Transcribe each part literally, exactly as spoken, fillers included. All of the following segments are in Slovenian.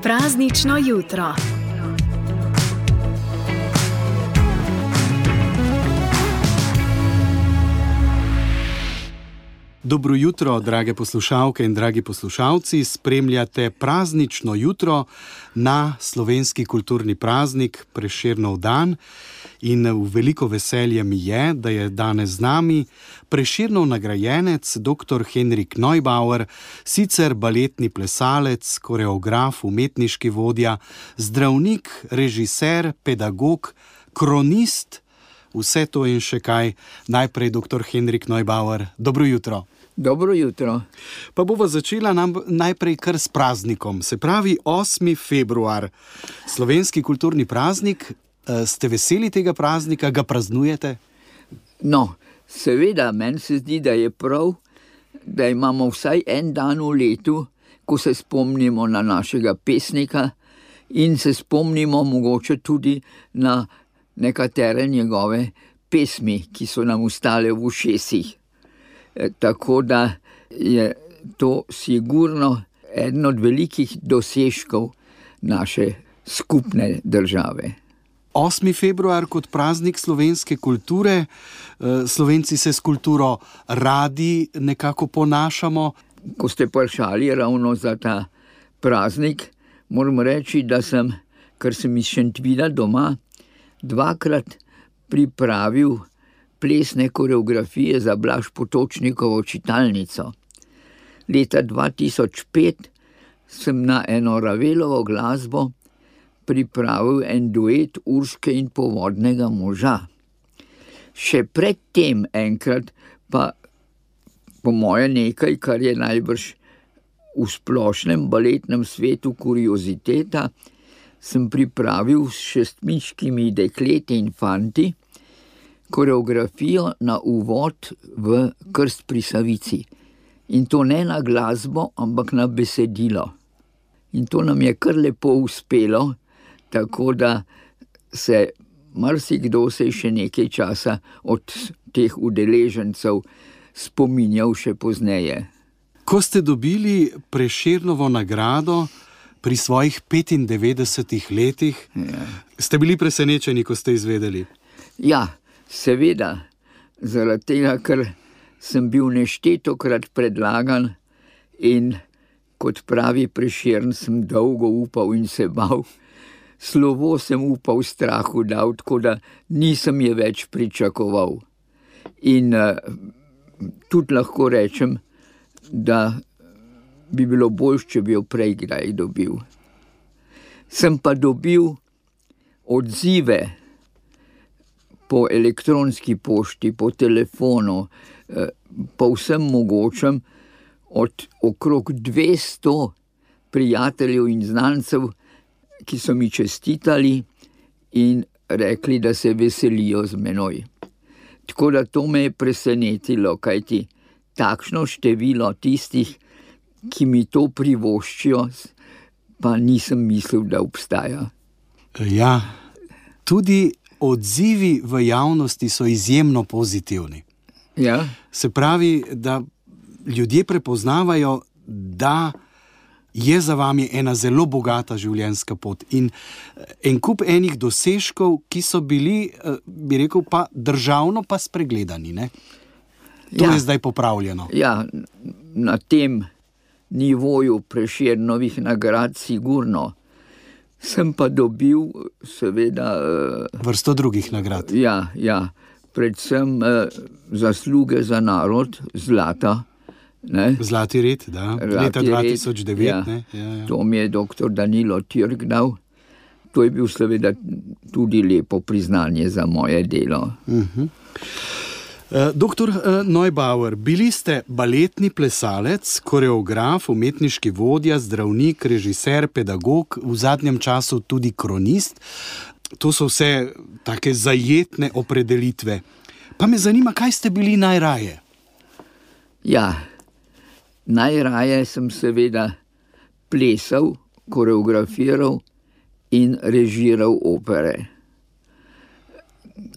Praznično jutro. Dobro jutro, drage poslušalke in dragi poslušalci. Spremljate praznično jutro na slovenski kulturni praznik Prešernov dan. In v veliko veselje mi je, da je danes z nami Prešernov nagrajenec dr. Henrik Neubauer, sicer baletni plesalec, koreograf, umetniški vodja, zdravnik, režiser, pedagog, kronist, vse to in še kaj. Najprej dr. Henrik Neubauer, dobro jutro. Dobro jutro. Pa bova začela nam najprej kar s praznikom, se pravi osmi februar, slovenski kulturni praznik. Ste veseli tega praznika, ga praznujete? No, seveda, meni se zdi, da je prav, da imamo vsaj en dan v letu, ko se spomnimo na našega pesnika in se spomnimo mogoče tudi na nekatere njegove pesmi, ki so nam ostale v ušesih. E, tako da je to sigurno eden od velikih dosežkov naše skupne države. osmi februar kot praznik slovenske kulture. Slovenci se s kulturo radi nekako ponašamo. Ko ste vprašali ravno za ta praznik, moram reči, da sem, ker sem iz Šentvida doma, dvakrat pripravil plesne koreografije za Blaž Potočnikovo čitalnico. Leta dva tisoč pet sem na eno Ravelovo glasbo pripravil en duet Urške in Povodnega moža. Še predtem enkrat pa, po moje nekaj, kar je najbrž v splošnem baletnem svetu kurioziteta, sem pripravil s šestmiškimi dekleti in fanti koreografijo na uvod v Krst pri Savici. In to ne na glasbo, ampak na besedilo. In to nam je kar lepo uspelo, tako da se marsikdo se še nekaj časa od teh udeležencev spominjal še pozneje. Ko ste dobili Prešernovo nagrado pri svojih petindevetdesetih letih, ja. Ste bili presenečeni, ko ste izvedeli? Ja, seveda, zaradi tega, ker sem bil neštetokrat predlagan in kot pravi Prešern sem dolgo upal in se bal. Slovo sem upal v strahu dal, tako da nisem je več pričakoval. In uh, tudi lahko rečem, da bi bilo boljše, če bi jo prej kdaj dobil. Sem pa dobil odzive po elektronski pošti, po telefonu, uh, po vsem mogočem, od okrog dvesto prijateljev in znancev, ki so mi čestitali in rekli, da se veselijo z menoj. Tako da to me je presenetilo, kajti takšno število tistih, ki mi to privoščijo, pa nisem mislil, da obstaja. Ja, tudi odzivi v javnosti so izjemno pozitivni. Ja. Se pravi, da ljudje prepoznavajo, da je za vami ena zelo bogata življenjska pot in en kup enih dosežkov, ki so bili, bi rekel, pa državno pa spregledani, ne? To ja. Je zdaj popravljeno. Ja, na tem nivoju Prešernovih nagrad sigurno. Sem pa dobil seveda vrsto drugih nagrad. Ja, ja, predvsem eh, zasluge za narod, zlata. Ne? Zlati red, da, Zlati leta dva tisoč devet. Ja. Ne? Ja, ja. To mi je doktor Danilo Tirk dal. To je bil seveda tudi lepo priznanje za moje delo. Uh-huh. Uh, doktor uh, Neubauer, bili ste baletni plesalec, koreograf, umetniški vodja, zdravnik, režiser, pedagog, v zadnjem času tudi kronist. To so vse take zajetne opredelitve. Pa me zanima, kaj ste bili najraje? Ja, najraje sem seveda plesal, koreografiral in režiral opere.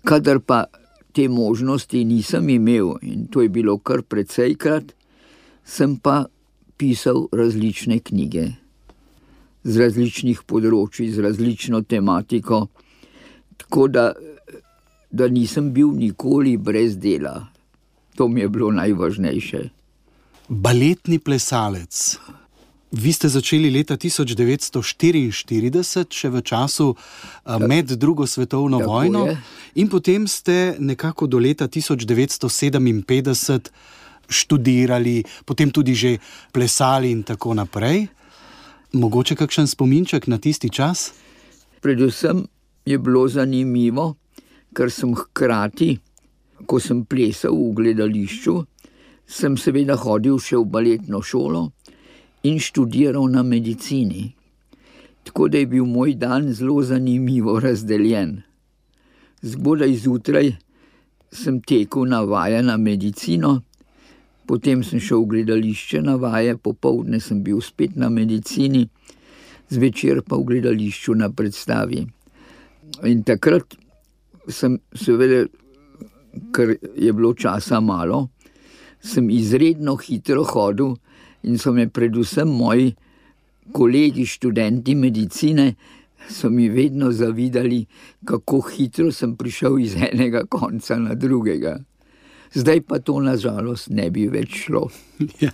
Kadar pa te možnosti nisem imel, in to je bilo kar precejkrat, sem pa pisal različne knjige z različnih področij, z različno tematiko, tako da, da nisem bil nikoli brez dela. To mi je bilo najvažnejše. Baletni plesalec. Vi ste začeli leta tisoč devetsto štiriinštirideset, še v času med drugo svetovno Tako vojno, je. in potem ste nekako do leta tisoč devetsto sedeminpetdeset študirali, potem tudi že plesali in tako naprej. Mogoče kakšen spominček na tisti čas? Predvsem je bilo zanimivo, ker sem hkrati, ko sem plesal v gledališču, sem seveda hodil še v baletno šolo in študiral na medicini. Tako da je bil moj dan zelo zanimivo razdeljen. Zgodaj zjutraj sem tekel na vaje na medicino, potem sem šel v gledališče na vaje, popoldne sem bil spet na medicini, zvečer pa v gledališču na predstavi. In takrat sem seveda, ker je bilo časa malo, sem izredno hitro hodil in so me predvsem moji kolegi, študenti medicine, so mi vedno zavidali, kako hitro sem prišel iz enega konca na drugega. Zdaj pa to na žalost ne bi več šlo. Ja,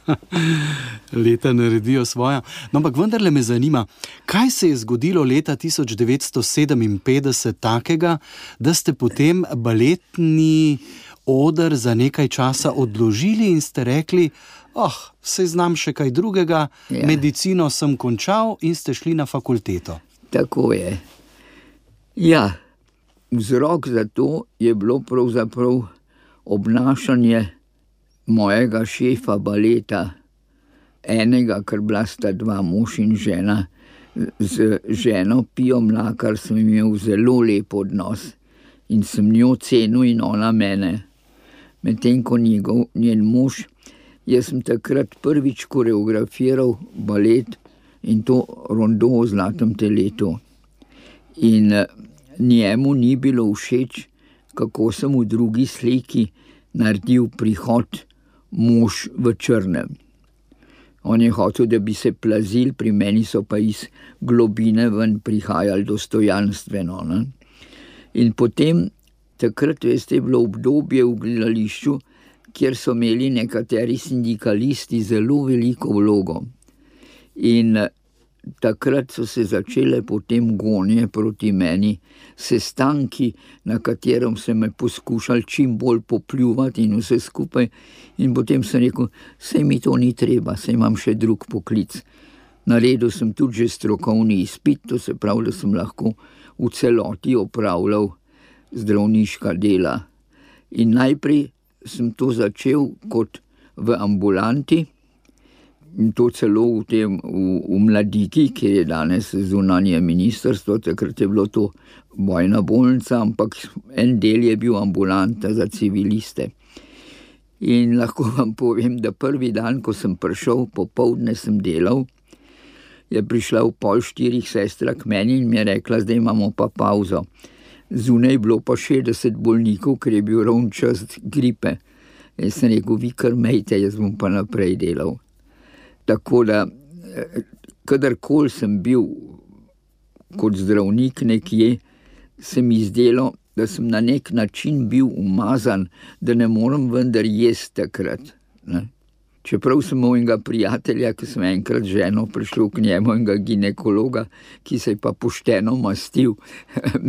leta naredijo svoja. No, ampak vendarle me zanima, kaj se je zgodilo leta tisoč devetsto sedeminpetdeset takega, da ste potem baletni oder za nekaj časa odložili in ste rekli, oh, saj znam še kaj drugega, Ja. medicino sem končal, in ste šli na fakulteto. Tako je. Ja, vzrok za to je bilo pravzaprav obnašanje mojega šefa baleta, enega, ker bila sta dva, mož in žena. Z ženo Pijo Mlakar sem imel zelo lep odnos in sem njo cenil in ona mene. Medtem ko njegov, njen mož, jaz sem takrat prvič koreografiral balet in to rondo o zlatem teletu. In eh, njemu ni bilo všeč, kako sem v drugi sliki naredil prihod mož v črnem. On je hotel, da bi se plazil, pri meni so pa iz globine ven prihajali dostojanstveno. Ne? In potem, takrat, veste, je bilo obdobje v gledališču, kjer so imeli nekateri sindikalisti zelo veliko vlogo. In eh, takrat so se začele potem gonje proti meni, sestanki, na katerem se me poskušali čim bolj popljuvati in vse skupaj. In potem sem rekel, saj mi to ni treba, saj imam še drug poklic. Naredil sem tudi že strokovni izpit, to se pravi, da sem lahko v celoti opravljal zdravniška dela. In najprej sem to začel kot v ambulanti, in to celo v, tem, v, v Mladiki, kjer je danes zunanje ministrstvo, takrat je bilo to bojna bolnica, ampak en del je bil ambulanta za civiliste. In lahko vam povem, da prvi dan, ko sem prišel, popoldne sem delal, je prišla v pol štirih sestra k meni in mi je rekla, zdaj imamo pa pauzo. Zunaj je bilo pa šestdeset bolnikov, ker je bil ravno čas gripe. Jaz sem rekel, vi kar mejte, jaz bom pa naprej delal. Tako da, kadarkoli sem bil kot zdravnik nekje, se mi zdelo, da sem na nek način bil umazan, da ne morem vendar jesti takrat. Ne? Čeprav sem imel enega prijatelja, ki sem enkrat z ženo prišel k njemu, enega ginekologa, ki se je pa pošteno mastil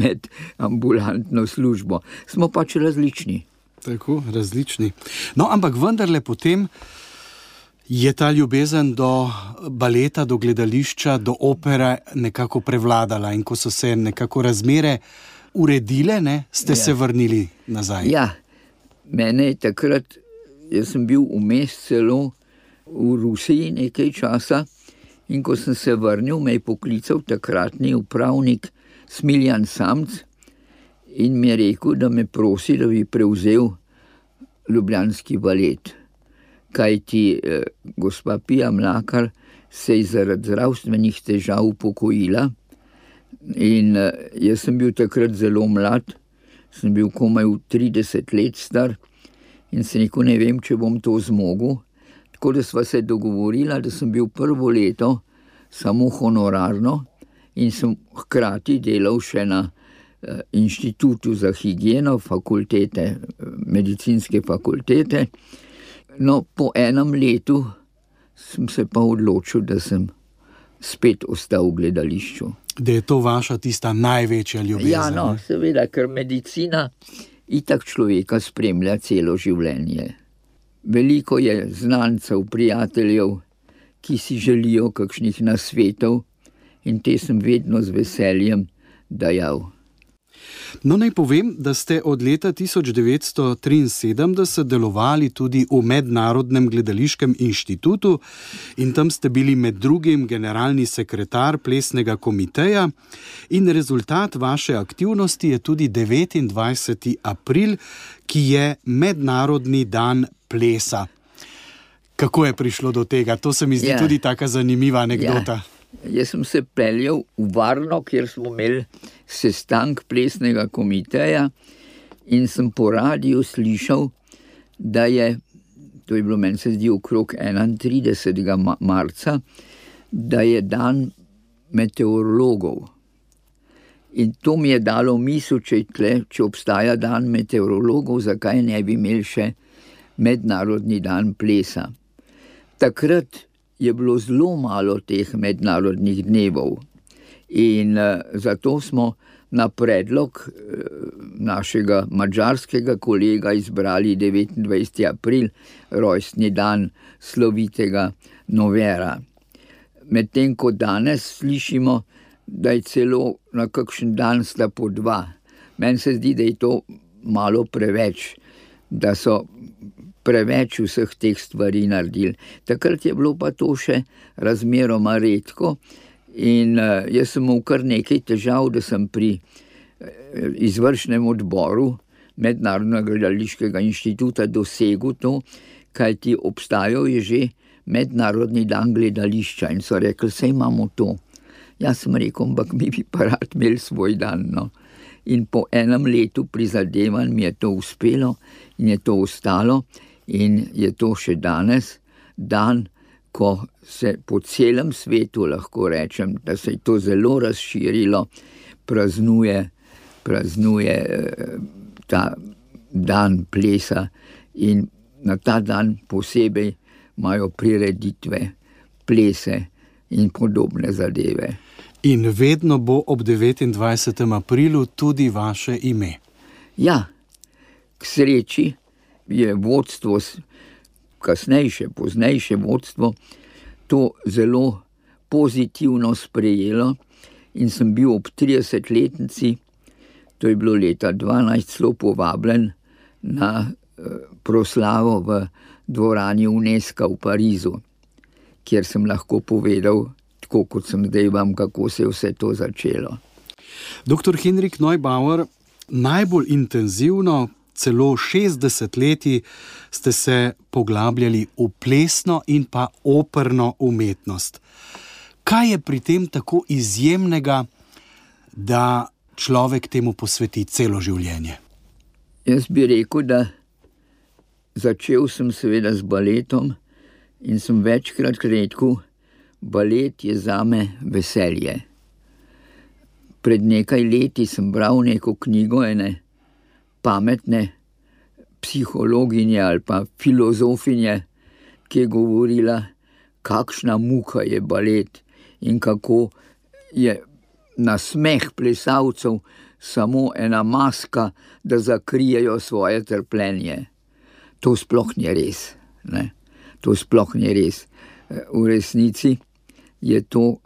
med ambulantno službo. Smo pač različni. Tako, različni. No, ampak vendarle potem je ta ljubezen do baleta, do gledališča, do opere nekako prevladala, in ko so se nekako razmere uredile, ne, ste ja. se vrnili nazaj. Ja, mene je takrat, jaz sem bil vmes celo v Rusiji nekaj časa, in ko sem se vrnil, me je poklical takratni upravnik Smiljan Samc in mi je rekel, da me prosi, da bi prevzel ljubljanski balet. Kajti eh, gospa Pija Mlakar se je zaradi zdravstvenih težav upokojila in eh, jaz sem bil takrat zelo mlad, sem bil komaj v trideset let star in se rekel, ne vem, če bom to zmogel. Tako da sva se dogovorila, da sem bil prvo leto samo honorarno in sem hkrati delal še na eh, inštitutu za higieno fakultete, medicinske fakultete. No, po enem letu sem se pa odločil, da sem spet ostal v gledališču. Da je to vaša tista največja ljubezen. Ja, no, seveda, ker medicina itak človeka spremlja celo življenje. Veliko je znancev, prijateljev, ki si želijo kakšnih nasvetov in te sem vedno z veseljem dajal. No, naj povem, da ste od leta tisoč devetsto triinsedemdeset delovali tudi v Mednarodnem gledališkem inštitutu in tam ste bili med drugim generalni sekretar plesnega komiteja in rezultat vaše aktivnosti je tudi devetindvajseti april, ki je Mednarodni dan plesa. Kako je prišlo do tega? To se mi zdi ja. tudi taka zanimiva anekdota. Ja. Jaz sem se peljal v Varno, kjer smo imeli sestank plesnega komiteja in sem po radiju slišal, da je, to je bilo meni se zdi okrog enaintridesetega marca, da je dan meteorologov. In to mi je dalo misel, če, tle, če obstaja dan meteorologov, zakaj ne bi imeli še Mednarodni dan plesa. Takrat je bilo zelo malo teh mednarodnih dnevov in uh, zato smo na predlog uh, našega madžarskega kolega izbrali devetindvajseti april, rojstni dan slovitega Novera. Medtem ko danes slišimo, da je celo na kakšen dan sta po dva. Meni se zdi, da je to malo preveč, da so preveč vseh teh stvari naredili. Takrat je bilo pa to še razmeroma redko in uh, jaz sem imel kar nekaj težav, da sem pri uh, izvršnem odboru Mednarodnega gledališkega inštituta dosegel to, kajti obstajal je že Mednarodni dan gledališča in so rekli, saj imamo to. Jaz sem rekel, ampak mi bi pa rad imeli svoj dan, no. In po enem letu prizadevanj mi je to uspelo in je to ostalo. In je to še danes dan, ko se po celem svetu, lahko rečem, da se je to zelo razširilo, praznuje, praznuje ta dan plesa in na ta dan posebej imajo prireditve, plese in podobne zadeve. In vedno bo ob devetindvajsetem aprilu tudi vaše ime. Ja, k sreči je vodstvo, kasnejše, poznejše vodstvo, to zelo pozitivno sprejelo in sem bil ob tridesetletnici, to je bilo leta dvanajst, celo povabljen na proslavo v dvorani UNESCO v Parizu, kjer sem lahko povedal, tako kot sem zdaj vam, kako se je vse to začelo. Doktor Henrik Neubauer, najbolj intenzivno, celo šestdeset leti ste se poglabljali v plesno in pa operno umetnost. Kaj je pri tem tako izjemnega, da človek temu posveti celo življenje? Jaz bi rekel, da začel sem seveda z baletom in sem večkrat rekel, balet je zame veselje. Pred nekaj leti sem bral neko knjigo ene pametne psihologinje ali pa filozofinje, ki je govorila, kakšna muka je balet in kako je nasmeh plesalcev samo ena maska, da zakrijejo svoje trpljenje. To sploh ni res, ne? To sploh ni res. V resnici je to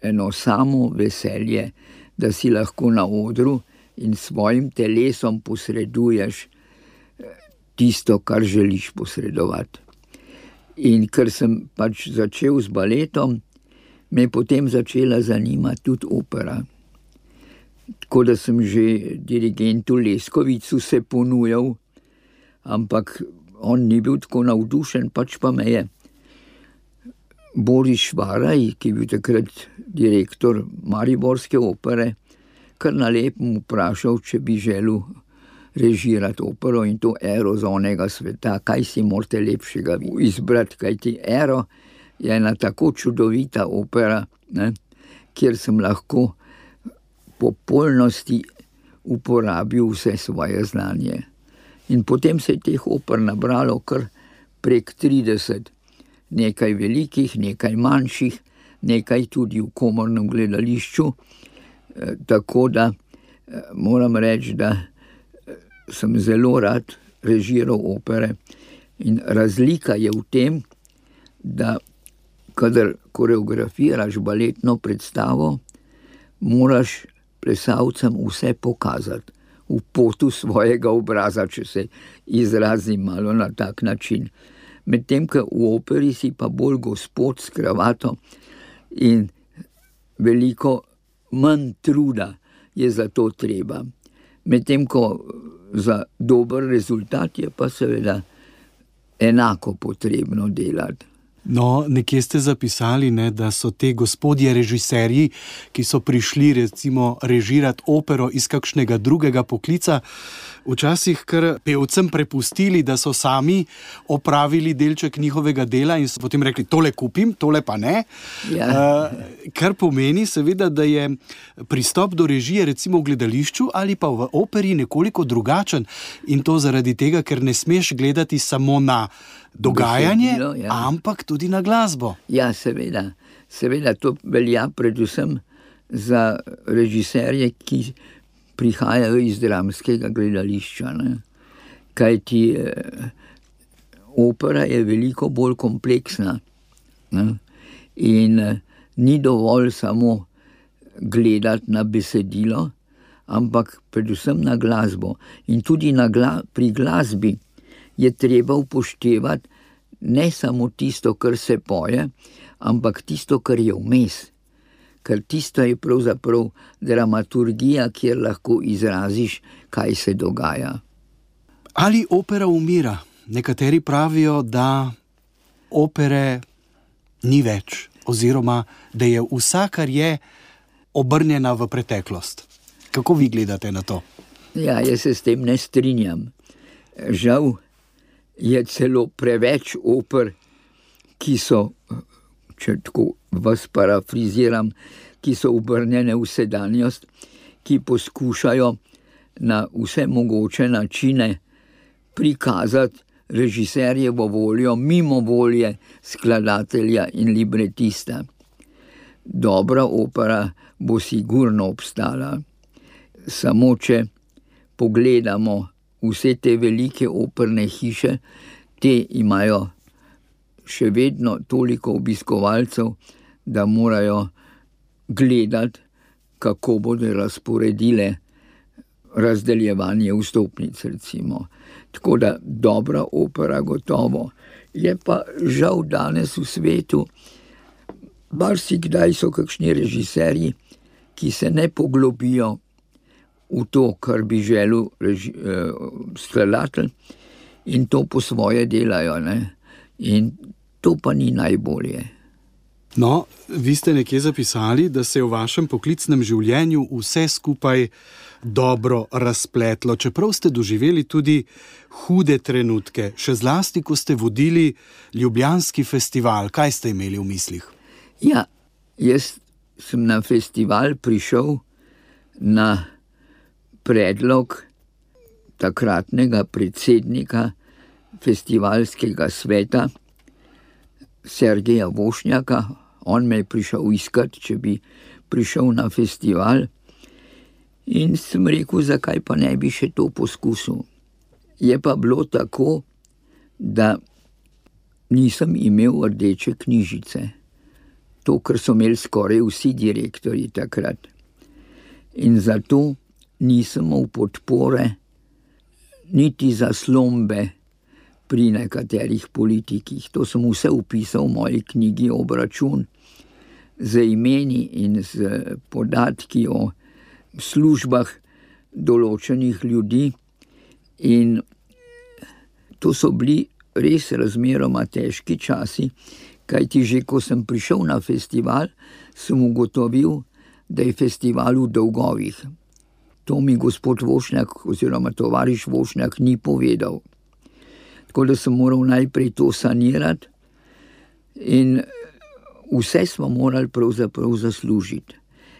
eno samo veselje, da si lahko na odru in svojim telesom posreduješ tisto, kar želiš posredovati. In ker sem pač začel z baletom, me je potem začela zanimati tudi opera. Tako da sem že dirigentu Leskovicu se ponujal, ampak on ni bil tako navdušen, pač pa me je Boris Švaraj, ki je bil takrat direktor Mariborske opere, kar na lepem vprašal, če bi želel režirati opero in to ero z onega sveta. Kaj si morate lepšega izbrati, kajti ero je ena tako čudovita opera, ne, kjer sem lahko po polnosti uporabil vse svoje znanje. In potem se je teh oper nabralo kar prek trideset, nekaj velikih, nekaj manjših, nekaj tudi v komornem gledališču, e, tako da e, moram reči, da sem zelo rad režiral opere in razlika je v tem, da kadar koreografiraš baletno predstavo, moraš plesalcem vse pokazati v potu svojega obraza, če se izrazim malo na tak način. Medtem, ko v operi si pa bolj gospod s kravato in veliko manj truda je za to treba. Medtem, ko za dober rezultat je pa seveda enako potrebno delati. No, nekje ste zapisali, ne, da so te gospodje režiserji, ki so prišli recimo režirati opero iz kakšnega drugega poklica, včasih kar pevcem prepustili, da so sami opravili delček njihovega dela in so potem rekli, tole kupim, tole pa ne. Ja. Uh, kar pomeni seveda, da je pristop do režije recimo v gledališču ali pa v operi nekoliko drugačen in to zaradi tega, ker ne smeš gledati samo na dogajanje, besedilo, ja. Ampak tudi na glasbo. Ja, seveda. Seveda to velja predvsem za režiserje, ki prihajajo iz dramskega gledališča. Ne? Kajti eh, opera je veliko bolj kompleksna. Ne? In eh, ni dovolj samo gledati na besedilo, ampak predvsem na glasbo. In tudi na gla- pri glasbi je treba upoštevati ne samo tisto, kar se poje, ampak tisto, kar je vmes. Ker tisto je pravzaprav dramaturgija, kjer lahko izraziš, kaj se dogaja. Ali opera umira? Nekateri pravijo, da opere ni več, oziroma da je vsa, kar je, obrnjena v preteklost. Kako vi gledate na to? Ja, jaz se s tem ne strinjam. Žal je celo preveč oper, ki so, če tako vas parafriziram, ki so obrnjene v sedanjost, ki poskušajo na vse mogoče načine prikazati režiserjevo voljo mimo volje skladatelja in libretista. Dobra opera bo sigurno obstala. Samo če pogledamo vse te velike operne hiše, te imajo še vedno toliko obiskovalcev, da morajo gledati, kako bodo razporedile razdeljevanje vstopnic, recimo. Tako da dobra opera gotovo. Je pa žal danes v svetu, marsikdaj so kakšni režiserji, ki se ne poglobijo v to, kar bi želel reži, eh, skladatelj in to po svoje delajo. Ne? In to pa ni najbolje. No, vi ste nekje zapisali, da se je v vašem poklicnem življenju vse skupaj dobro razpletlo, čeprav ste doživeli tudi hude trenutke, še zlasti, ko ste vodili Ljubljanski festival. Kaj ste imeli v mislih? Ja, jaz sem na festival prišel na predlog takratnega predsednika festivalskega sveta Sergeja Vošnjaka. On me je prišel iskati, če bi prišel na festival in sem rekel, zakaj pa ne bi še to poskusil. Je pa bilo tako, da nisem imel rdeče knjižice. To, kar so imeli skoraj vsi direktorji takrat. In zato nisem imel podpore niti zaslombe pri nekaterih politikih. To sem vse upisal v moji knjigi Obračun z imeni in z podatki o službah določenih ljudi. In to so bili res razmeroma težki časi, kajti že ko sem prišel na festival, sem ugotovil, da je festival v dolgovih. To mi gospod Vošnjak oziroma tovariš Vošnjak ni povedal. Tako da sem moral najprej to sanirati in vse smo morali pravzaprav zaslužiti.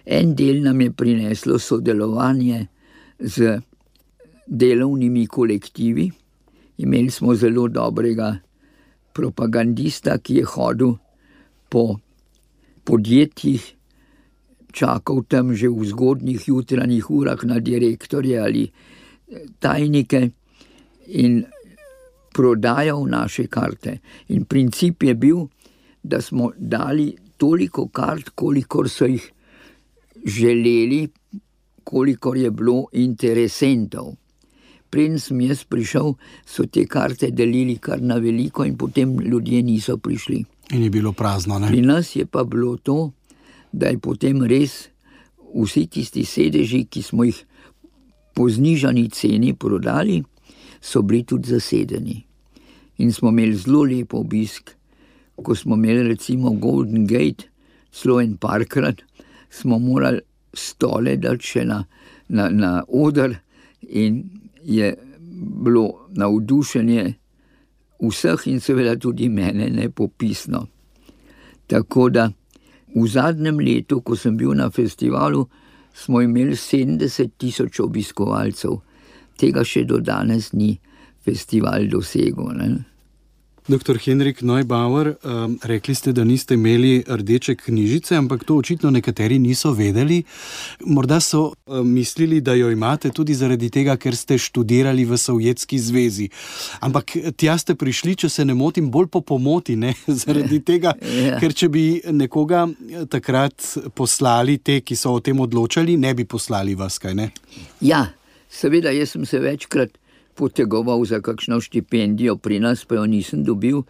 En del nam je prineslo sodelovanje z delovnimi kolektivi. Imeli smo zelo dobrega propagandista, ki je hodil po podjetjih, čakal tam že v zgodnjih jutranjih urah na direktorje ali tajnike in prodajal naše karte. In princip je bil, da smo dali toliko kart, kolikor so jih želeli, kolikor je bilo interesentov. Preden sem jaz prišel, so te karte delili kar na veliko in potem ljudje niso prišli. In je bilo prazno, ne? Pri nas je pa bilo to, da je potem res vsi tisti sedeži, ki smo jih po znižani ceni prodali, so bili tudi zasedeni. In smo imeli zelo lep obisk. Ko smo imeli recimo Golden Gate, celo en parkrat, smo morali stole dati še na, na, na oder in je bilo navdušenje vseh in seveda tudi mene nepopisno. Tako da v zadnjem letu, ko sem bil na festivalu, smo imeli sedemdeset tisoč obiskovalcev. Tega še do danes ni festival dosegel, ne? Doktor Henrik Neubauer, um, rekli ste, da niste imeli rdeče knjižice, ampak to očitno nekateri niso vedeli. Morda so um, mislili, da jo imate tudi zaradi tega, ker ste študirali v Sovjetski zvezi. Ampak tja ste prišli, če se ne motim, bolj po pomoti, ne? Zaradi tega, ja. Ker če bi nekoga takrat poslali, te, ki so o tem odločali, ne bi poslali vas, kaj ne? Ja, seveda, jaz sem se večkrat potegoval za kakšno štipendijo, pri nas pa jo nisem dobil.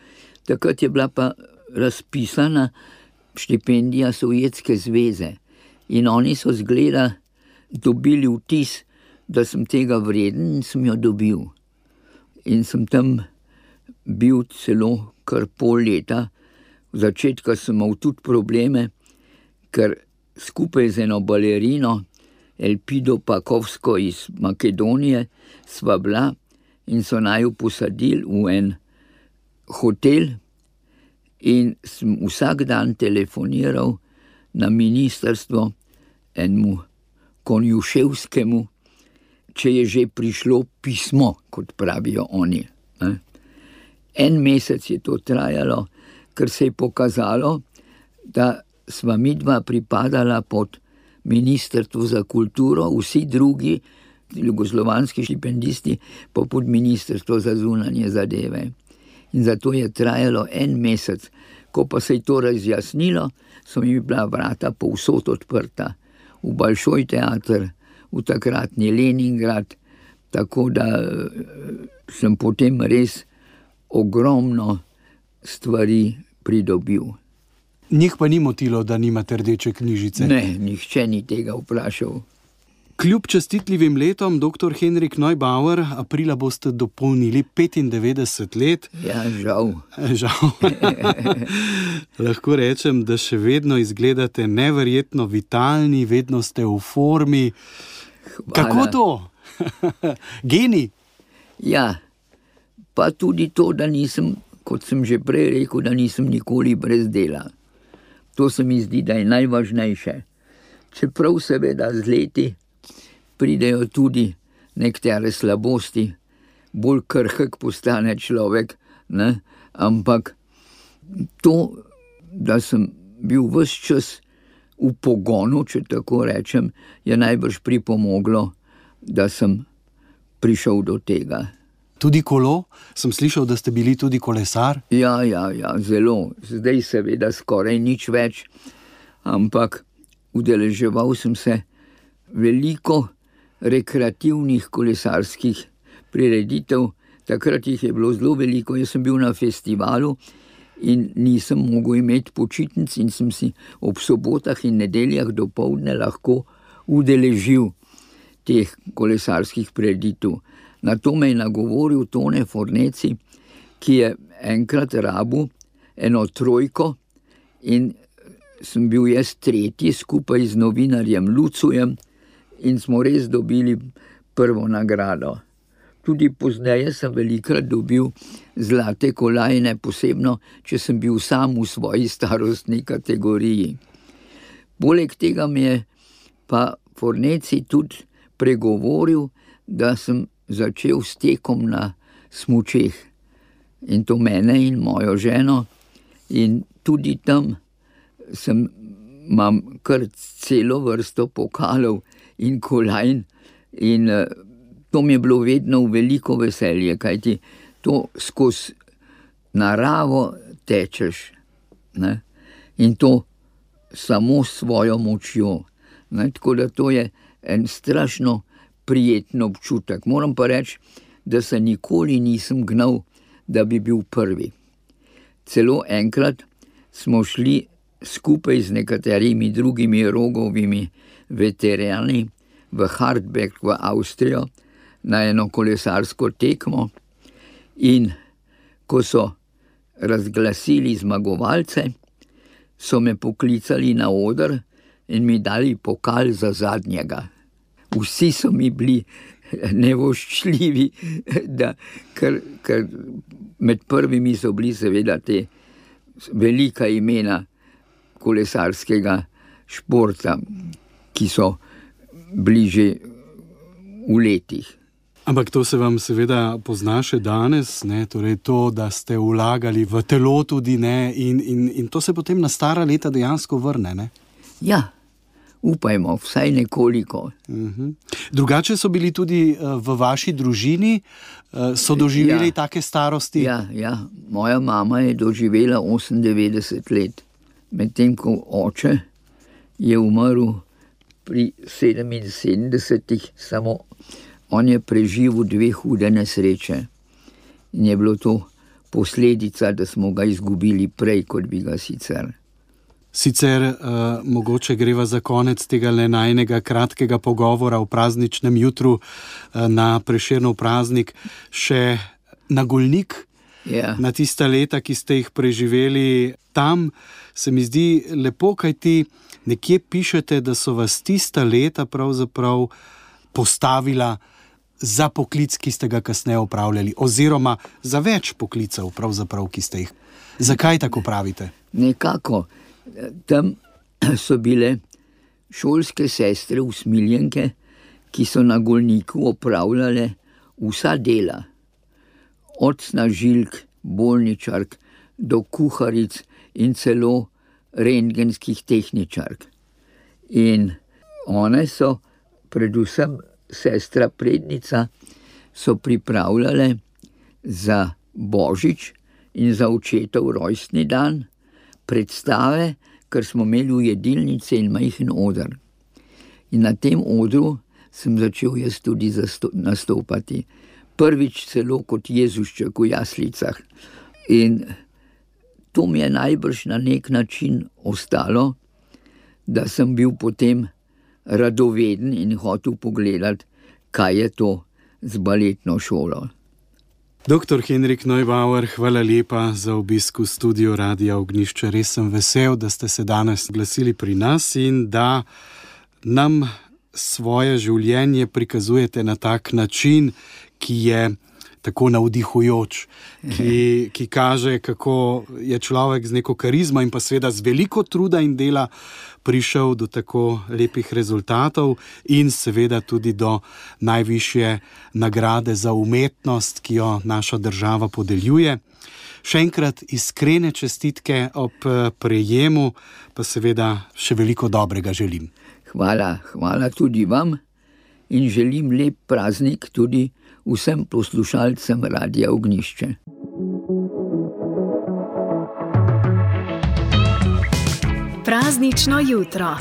Takrat je bila pa razpisana štipendija Sovjetske zveze in oni so zgleda dobili vtis, da sem tega vreden in sem jo dobil. In sem tam bil celo kar pol leta. V začetku sem imel tudi probleme, ker skupaj z eno balerino Elpido Pakovsko iz Makedonije sva bila in so naju posadili v en hotel in sem vsak dan telefoniral na ministrstvo enemu Konjuševskemu, če je že prišlo pismo, kot pravijo oni. En mesec je to trajalo, ker se je pokazalo, da sva midva pripadala pod Ministrstvo za kulturo, vsi drugi jugoslovanski štipendisti pa pod Ministrstvo za zunanje zadeve. In zato je trajalo en mesec. Ko pa se je to razjasnilo, so mi bila vrata povsod odprta. V Balšoj teater, v takratni Leningrad, tako da sem potem res ogromno stvari pridobil. Njih pa ni motilo, da nimate rdeče knjižice? Ne, nihče ni tega vprašal. Kljub častitljivim letom, doktor Henrik Neubauer, aprila boste dopolnili petindevetdeset let. Ja, žal. Žal. Lahko rečem, da še vedno izgledate neverjetno vitalni, vedno ste v formi. Hvala. Kako to? Genij? Ja, pa tudi to, da nisem, kot sem že prej rekel, da nisem nikoli brez dela. To se mi zdi, da je najvažnejše. Čeprav seveda z leti pridejo tudi nekatere slabosti, bolj krhek postane človek, ne? Ampak to, da sem bil ves čas v pogonu, če tako rečem, je najbrž pripomoglo, da sem prišel do tega. Tudi kolo? Sem slišal, da ste bili tudi kolesar? Ja, ja, ja, zelo. Zdaj seveda skoraj nič več, ampak udeleževal sem se veliko rekreativnih kolesarskih prireditev. Takrat jih je bilo zelo veliko. Jaz sem bil na festivalu in nisem mogel imeti počitnic in sem si ob sobotah in nedeljah dopoldne lahko udeležil teh kolesarskih prireditev. Na to me je nagovoril Tone Forneci, ki je enkrat rabil eno trojko in sem bil jaz tretji skupaj z novinarjem Lucujem in smo res dobili prvo nagrado. Tudi pozneje sem velikrat dobil zlate kolajne, posebno, če sem bil sam v svoji starostni kategoriji. Poleg tega mi je pa Forneci tudi pregovoril, da sem začel s tekom na smučeh. In to mene in mojo ženo. In tudi tam sem, imam kar celo vrsto pokalov in kolajn. In to mi je bilo vedno v veliko veselje, kajti to skozi naravo tečeš, ne? In to samo s svojo močjo. Ne? Tako da to je en strašno prijeten občutek. Moram pa reči, da se nikoli nisem gnal, da bi bil prvi. Celo enkrat smo šli skupaj z nekaterimi drugimi Rogovimi veterani v Hartberg v Avstrijo na eno kolesarsko tekmo in ko so razglasili zmagovalce, so me poklicali na oder in mi dali pokal za zadnjega. Vsi so mi bili nevoščljivi, da, ker, ker med prvimi so bili seveda te velika imena kolesarskega športa, ki so bili že v letih. Ampak to se vam seveda pozna še danes, ne? Torej to, da ste vlagali v telo tudi, ne? In, in, in to se potem na stara leta dejansko vrne, ne? Ja, upajmo, vsaj nekoliko. Uh-huh. Drugače so bili tudi uh, v vaši družini, uh, so doživeli ja. take starosti? Ja, ja, moja mama je doživela osemindevetdeset let, medtem ko oče je umrl pri sedeminsedemdesetih, samo on je preživel dve hude nesreče in je bilo to posledica, da smo ga izgubili prej, kot bi ga sicer. Sicer uh, mogoče greva za konec tega le najnega kratkega pogovora v prazničnem jutru uh, na Prešernov praznik še na Golnik, yeah. na tista leta, ki ste jih preživeli tam. Se mi zdi lepo, kaj ti nekje pišete, da so vas tista leta pravzaprav postavila za poklic, ki ste ga kasneje opravljali, oziroma za več poklicev, pravzaprav, ki ste jih. Zakaj tako pravite? Nekako. Tam so bile šolske sestre usmiljenke, ki so na Golniku opravljale vsa dela. Od snažilk, bolničark do kuharic in celo rentgenskih tehničark. In one so, predvsem sestra Prednica, so pripravljale za Božič in za očetov rojstni dan predstave, ker smo imeli v jedilnici in majhen oder. In na tem odru sem začel jaz tudi zasto- nastopati. Prvič celo kot Jezušček v jaslicah. In to mi je najbrž na nek način ostalo, da sem bil potem radoveden in hotel pogledati, kaj je to z baletno šolo. Doktor Henrik Neubauer, hvala lepa za obisk v studiu Radia Ognjišče. Res sem vesel, da ste se danes glasili pri nas in da nam svoje življenje prikazujete na tak način, ki je tako navdihujoč, ki, ki kaže, kako je človek z neko karizmo in pa seveda z veliko truda in dela prišel do tako lepih rezultatov in seveda tudi do najvišje nagrade za umetnost, ki jo naša država podeljuje. Še enkrat iskrene čestitke ob prejemu, pa seveda še veliko dobrega želim. Hvala, hvala tudi vam in želim lep praznik tudi vsem poslušalcem Radia Ognjišče. Praznično jutro.